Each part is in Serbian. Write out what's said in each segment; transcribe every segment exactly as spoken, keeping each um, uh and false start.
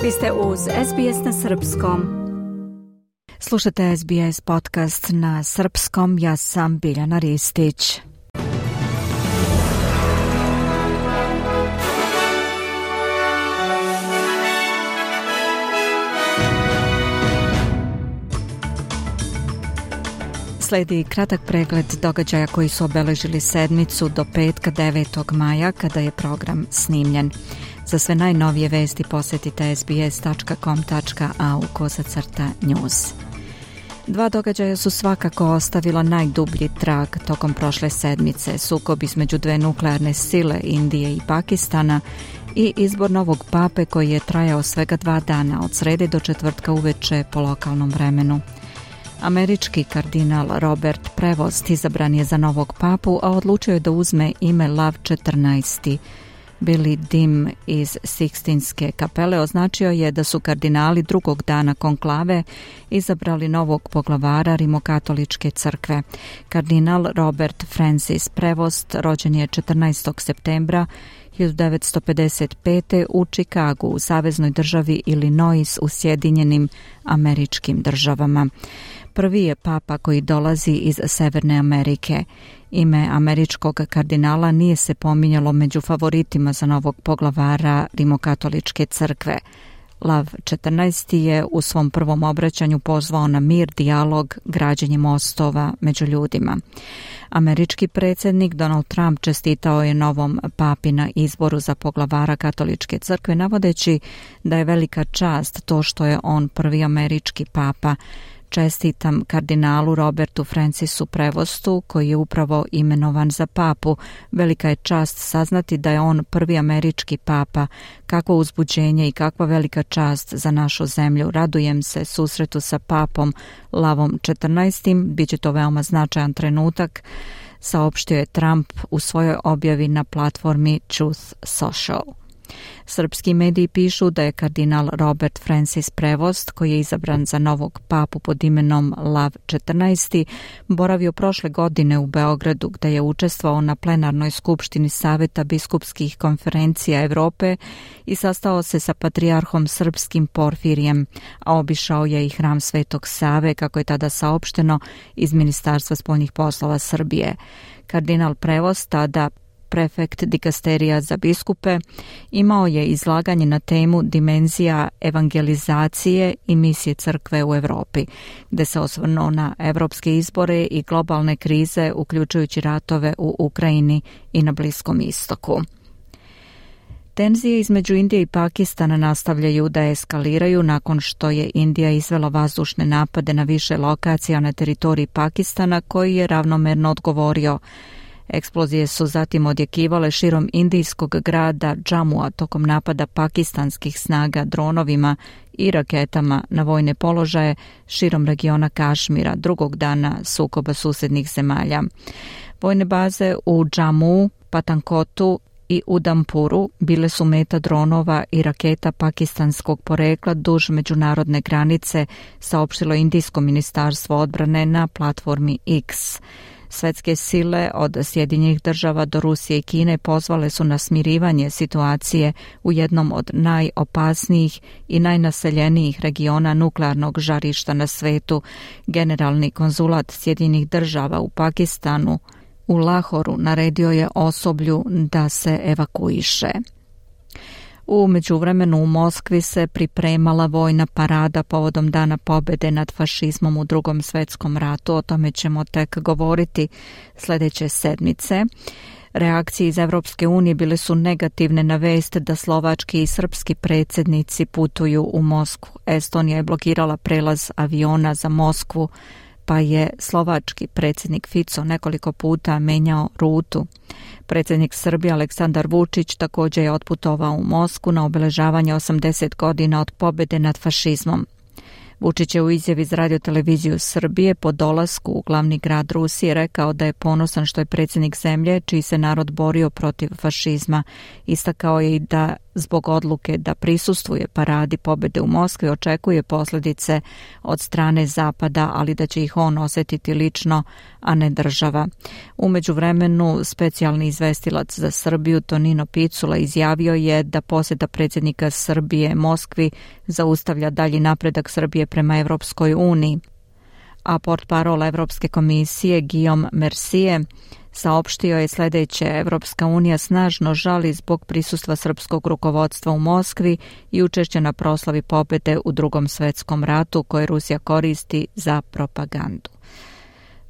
Vi ste uz S B S na srpskom. Slušate S B S podcast na srpskom, ja sam Biljana Ristić. Slijedi kratak pregled događaja koji su obeležili sedmicu do petka devetog maja kada je program snimljen. Za sve najnovije vesti posjetite sbs tačka com tačka a u kosacrta news. Dva događaja su svakako ostavila najdublji trag tokom prošle sedmice, sukob između dve nuklearne sile Indije i Pakistana i izbor novog pape koji je trajao svega dva dana od srede do četvrtka uveče po lokalnom vremenu. Američki kardinal Robert Prevost izabran je za novog papu, a odlučio je da uzme ime Lav četrnaest. Billy Dim iz Sikstinske kapele označio je da su kardinali drugog dana konklave izabrali novog poglavara Rimokatoličke crkve. Kardinal Robert Francis Prevost rođen je četrnaestog septembra hiljadu devetsto pedeset pete. u Čikagu u saveznoj državi Illinois u Sjedinjenim Američkim Državama. Prvi je papa koji dolazi iz Severne Amerike. Ime američkog kardinala nije se pominjalo među favoritima za novog poglavara Rimokatoličke crkve. Lav četrnaest je u svom prvom obraćanju pozvao na mir, dijalog, građenje mostova među ljudima. Američki predsjednik Donald Trump čestitao je novom papi na izboru za poglavara Katoličke crkve, navodeći da je velika čast to što je on prvi američki papa. Čestitam kardinalu Robertu Francisu Prevostu, koji je upravo imenovan za papu. Velika je čast saznati da je on prvi američki papa. Kakvo uzbuđenje i kakva velika čast za našu zemlju. Radujem se susretu sa papom Lavom četrnaest. Biće to veoma značajan trenutak, saopštio je Trump u svojoj objavi na platformi Truth Social. Srpski mediji pišu da je kardinal Robert Francis Prevost, koji je izabran za novog papu pod imenom Lav četrnaest, boravio prošle godine u Beogradu, gde je učestvovao na plenarnoj skupštini Saveta biskupskih konferencija Evrope i sastao se sa patrijarhom srpskim Porfirijem, a obišao je i hram Svetog Save, kako je tada saopšteno iz Ministarstva spoljnih poslova Srbije. Kardinal Prevost, tada prefekt dikasterija za biskupe, imao je izlaganje na temu dimenzija evangelizacije i misije crkve u Evropi, gde se osvrnuo na evropske izbore i globalne krize, uključujući ratove u Ukrajini i na Bliskom istoku. Tenzije između Indije i Pakistana nastavljaju da eskaliraju nakon što je Indija izvela vazdušne napade na više lokacija na teritoriji Pakistana, koji je ravnomerno odgovorio. Eksplozije su zatim odjekivale širom indijskog grada Džamua tokom napada pakistanskih snaga dronovima i raketama na vojne položaje širom regiona Kašmira, drugog dana sukoba susednih zemalja. Vojne baze u Džamuu, Patankotu i Udampuru bile su meta dronova i raketa pakistanskog porekla duž međunarodne granice, saopštilo Indijsko ministarstvo odbrane na platformi X. Svetske sile od Sjedinjenih država do Rusije i Kine pozvale su na smirivanje situacije u jednom od najopasnijih i najnaseljenijih regiona nuklearnog žarišta na svetu. Generalni konzulat Sjedinjenih država u Pakistanu u Lahoru naredio je osoblju da se evakuiše. U međuvremenu u Moskvi se pripremala vojna parada povodom Dana pobjede nad fašizmom u Drugom svjetskom ratu. O tome ćemo tek govoriti sljedeće sedmice. Reakcije iz Evropske unije bile su negativne na vest da slovački i srpski predsjednici putuju u Moskvu. Estonija je blokirala prelaz aviona za Moskvu, pa je slovački predsjednik Fico nekoliko puta menjao rutu. Predsjednik Srbije Aleksandar Vučić također je otputovao u Moskvu na obeležavanje osamdeset godina od pobjede nad fašizmom. Vučić je u izjavi za radioteleviziju Srbije po dolasku u glavni grad Rusije rekao da je ponosan što je predsjednik zemlje čiji se narod borio protiv fašizma. Istakao je i da zbog odluke da prisustvuje paradi pobjede u Moskvi očekuje posljedice od strane Zapada, ali da će ih on osjetiti lično, a ne država. U međuvremenu specijalni izvestilac za Srbiju Tonino Picula izjavio je da posjeta predsjednika Srbije Moskvi zaustavlja dalji napredak Srbije prema Evropskoj uniji. A portparol Evropske komisije Guillaume Mercier saopštio je sljedeće: Evropska unija snažno žali zbog prisustva srpskog rukovodstva u Moskvi i učešća na proslavi pobjede u Drugom svjetskom ratu koje Rusija koristi za propagandu.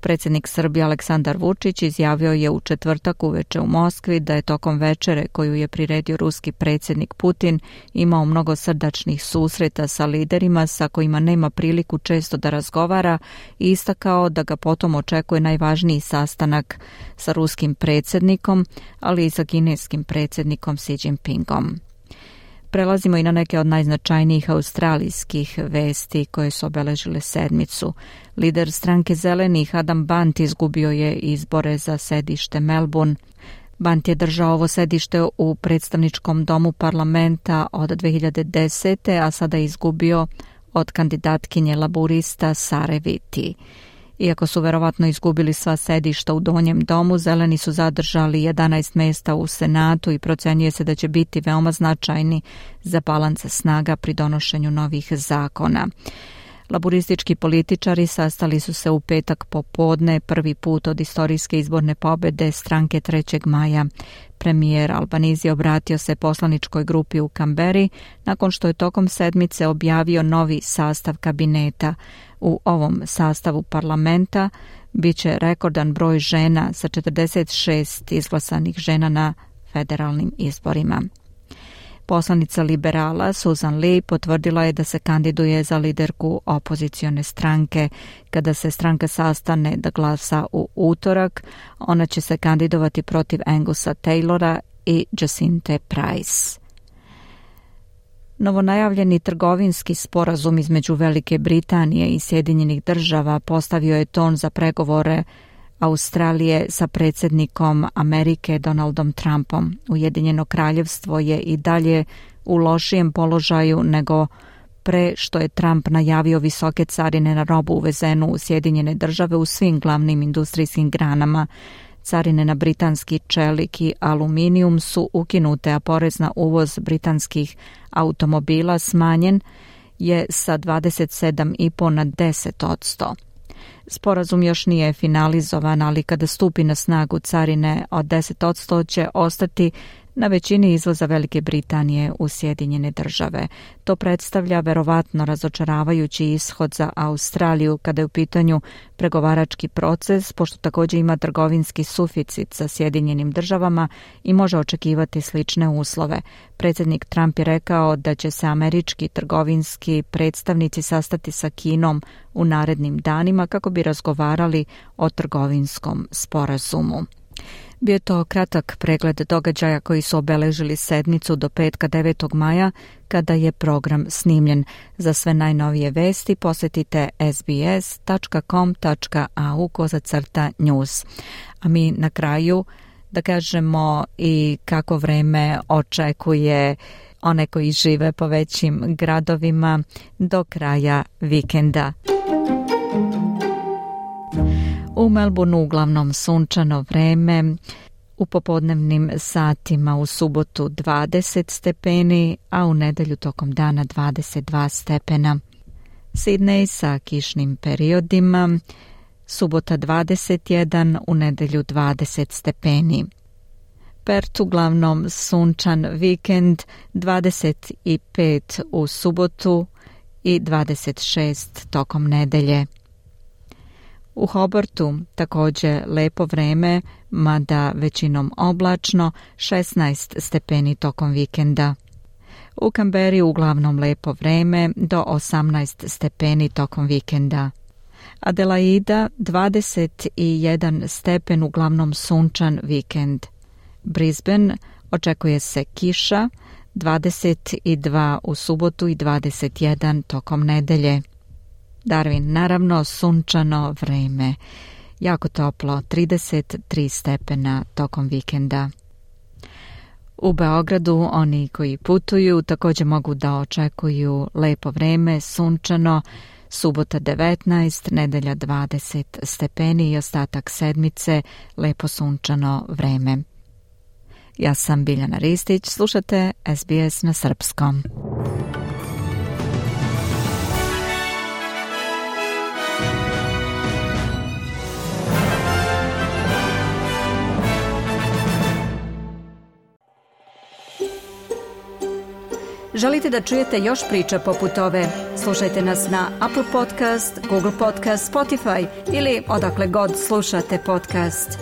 Predsjednik Srbije Aleksandar Vučić izjavio je u četvrtak uveče u Moskvi da je tokom večere koju je priredio ruski predsjednik Putin imao mnogo srdačnih susreta sa liderima sa kojima nema priliku često da razgovara i istakao da ga potom očekuje najvažniji sastanak sa ruskim predsjednikom, ali i sa kineskim predsjednikom Xi Jinpingom. Prelazimo i na neke od najznačajnijih australijskih vesti koje su obeležile sedmicu. Lider stranke Zelenih Adam Bant izgubio je izbore za sedište Melbourne. Bant je držao ovo sedište u predstavničkom domu parlamenta od dve hiljade desete. a sada je izgubio od kandidatkinje laburista Sare Viti. Iako su verovatno izgubili sva sedišta u donjem domu, Zeleni su zadržali jedanaest mjesta u Senatu i procenjuje se da će biti veoma značajni za balans snaga pri donošenju novih zakona. Laburistički političari sastali su se u petak popodne, prvi put od istorijske izborne pobjede stranke trećeg maja. Premijer Albanese obratio se poslaničkoj grupi u Kamberi nakon što je tokom sedmice objavio novi sastav kabineta. U ovom sastavu parlamenta bit će rekordan broj žena sa četrdeset šest izglasanih žena na federalnim izborima. Poslanica liberala Susan Lee potvrdila je da se kandiduje za liderku opozicione stranke. Kada se stranka sastane da glasa u utorak, ona će se kandidovati protiv Angusa Taylora i Jacinthe Price. Novonajavljeni trgovinski sporazum između Velike Britanije i Sjedinjenih država postavio je ton za pregovore Australije sa predsjednikom Amerike Donaldom Trumpom. Ujedinjeno kraljevstvo je i dalje u lošijem položaju nego pre što je Trump najavio visoke carine na robu uvezenu u Sjedinjene države u svim glavnim industrijskim granama. Carine na britanski čelik i aluminijum su ukinute, a porez na uvoz britanskih automobila smanjen je sa dvadeset sedam zarez pet na deset odsto. Sporazum još nije finalizovan, ali kada stupi na snagu carine od deset odsto će ostati na većini izvoza Velike Britanije u Sjedinjene države. To predstavlja verovatno razočaravajući ishod za Australiju kada je u pitanju pregovarački proces, pošto također ima trgovinski suficit sa Sjedinjenim državama i može očekivati slične uslove. Predsjednik Trump je rekao da će se američki trgovinski predstavnici sastati sa Kinom u narednim danima kako bi razgovarali o trgovinskom sporazumu. Bio je to kratak pregled događaja koji su obeležili sedmicu do petka devetog maja kada je program snimljen. Za sve najnovije vesti posjetite es be es tačka com tačka a u kozacrta news. A mi na kraju da kažemo i kako vreme očekuje one koji žive po većim gradovima do kraja vikenda. U Melbourneu uglavnom sunčano vreme, u popodnevnim satima u subotu dvadeset stepeni, a u nedjelju tokom dana dvadeset dva stepena. Sidney sa kišnim periodima, subota dvadeset jedan, u nedjelju dvadeset stepeni. Perth uglavnom sunčan vikend, dvadeset pet u subotu i dvadeset šest tokom nedelje. U Hobartu također lepo vreme, mada većinom oblačno, šesnaest stepeni tokom vikenda. U Kamberi uglavnom lepo vreme, do osamnaest stepeni tokom vikenda. Adelaida dvadeset jedan stepen, uglavnom sunčan vikend. Brisbane očekuje se kiša, dvadeset dva u subotu i dvadeset jedan tokom nedelje. Darwin, naravno, sunčano vreme, jako toplo, trideset tri stepena tokom vikenda. U Beogradu oni koji putuju također mogu da očekuju lepo vreme, sunčano, subota devetnaest, nedelja dvadeset stepeni i ostatak sedmice lepo sunčano vreme. Ja sam Biljana Ristić, slušate S B S na srpskom. Želite da čujete još priča poput ove? Slušajte nas na Apple Podcast, Google Podcast, Spotify ili odakle god slušate podcast.